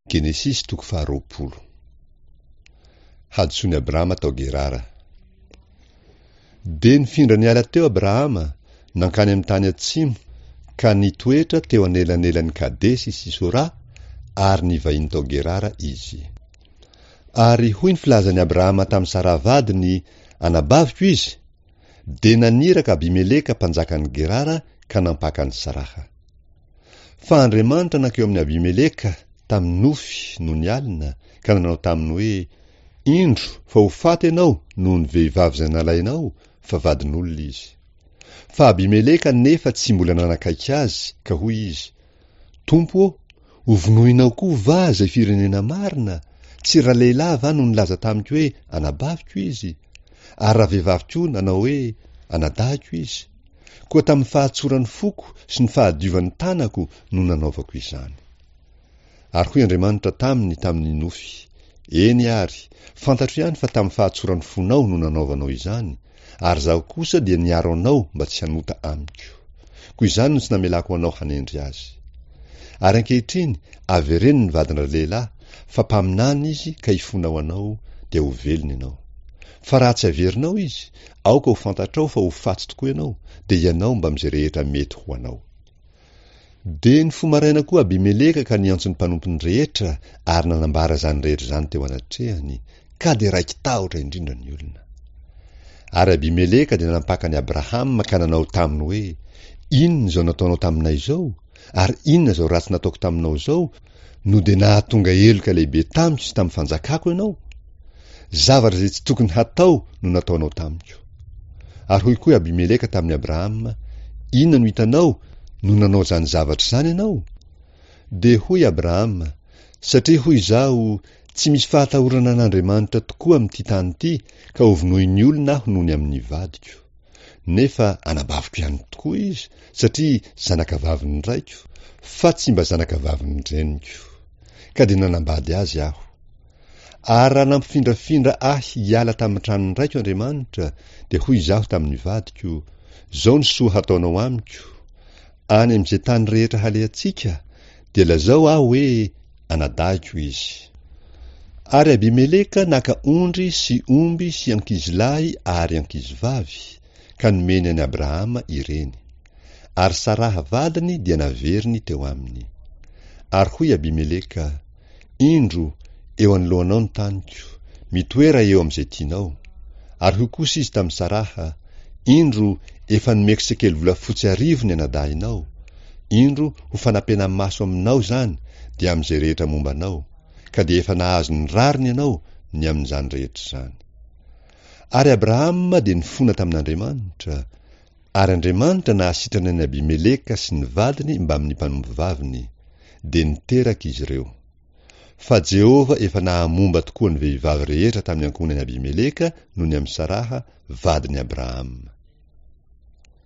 Genesisy toko faharoapolo. Hadisoan'i Abrahama tao Gerara. Dia nifindra niala teo Abrahama, nankany amin'ny tany atsimo, ka nitoetra teo anelanelan'i Kadesy sy Sora, ary nivahiny tao Gerara izy. Ary hoy ny filazan'i Abrahama tamin'i Saraha vadiny, Anabaviko izy. Dia naniraka Abimeleka mpanjakan'i Gerara ka nampaka an'i Saraha. Fa Andriamanitra nankeo amin'i Abimeleka tamin'ny nofy nony alina ka nanao taminy hoe, Indro fa ho faty ianao noho ny vehivavy izay nalainao, fa vadin'olona izy. Fa Abimeleka anefa tsy mbola nanakaiky azy, ka hoy izy, Tompo ô, hovonoinao koa va izay firenena marina? Tsy ralehilahy va no nilaza tamiko hoe, Anabaviko izy? Ary ravehivavy koa nanao hoe, Anadahiko izy? Koa tamin'ny fahatsoran'ny foko sy ny fahadiovan'ny tanako no nanaovako izany. Ary hoy Andriamanitra taminy tamin'ny nofy, Eny àry, fantatro ihany fa tamin'ny fahatsoran'ny fonao no nanaovanao izany, ary Izaho kosa dia niaro anao mba tsy hanota amiko. Koa izany no tsy namelako anao hanendry azy. Ary ankehitriny, avereno ny vadin-dralehilahy, fa mpaminany izy ka hifona ho anao, dia ho velona ianao. Fa raha tsy averinao izy, aoka ho fantatrao fa ho faty tokoa ianao, dia ianao mbamin'izay rehetra mety ho anao. Dia nifoha maraina koa Abimeleka ka niantso ny mpanompony rehetra ary nanambara izany rehetra izany teo anatrehany, ka dia raiki-tahotra indrindra ny olona. Ary Abimeleka dia nampaka an'i Abrahama ka nanao taminy hoe, Inona izao nataonao taminay izao? Ary inona izao ratsy nataoko taminao izao, no dia nahatonga heloka lehibe tamiko sy tamin'ny fanjakako ianao? Zavatra izay tsy tokony hatao no nataonao tamiko. Ary hoy koa i Abimeleka tamin'i Abrahama, Inona no hitanao no nanao izany zavatra izany ianao? Dia hoy Abrahama, Satria hoy izaho, Tsy misy fahatahorana an'Andriamanitra tokoa amin'ity tany ity, ka hovonoin'ny olona aho noho ny amin'ny vadiko. Nefa anabaviko ihany tokoa izy, satria zanakavavin'ny raiko, fa tsy mba zanakavavin'ny reniko. Ka dia nanambady azy aho. Ary raha nampifindrafindra ahy hiala tamin'ny tranon'ny raiko Andriamanitra, dia hoy izaho tamin'ny vadiko, Izao ny soa hataonao amiko, Any amin'izay tany rehetra halehantsika, dia lazao aho hoe, Anadahiko izy. Ary Abimeleka naka ondry sy omby sy ankizilahy ary ankizivavy, ka nomeny an'i Abrahama ireny. Ary Saraha vadiny dia naveriny teo aminy. Ary hoy Abimeleka, Indro, eo anoloanao ny taniko, mitoera eo amin'izay tianao. Ary hoy kosa izy tamin'i Saraha, Indro, efa nomeko sekely volafotsy arivo ny anadahinao. Indro, ho fanapena-maso aminao izany, dia amin'izay rehetra momba anao, ka dia efa nahazo ny rariny ianao ny amin'izany rehetra izany. Ary Abrahama dia nifona tamin'Andriamanitra, ary Andriamanitra nahasitrana an'i Abimeleka sy ny vadiny mbamin'ny mpanompovaviny, dia niteraka izy ireo. Fa Jehovah efa nahamomba tokoa ny vehivavy rehetra tamin'ny ankohonan'i Abimeleka noho ny amin'i Saraha, vadin'i Abrahama.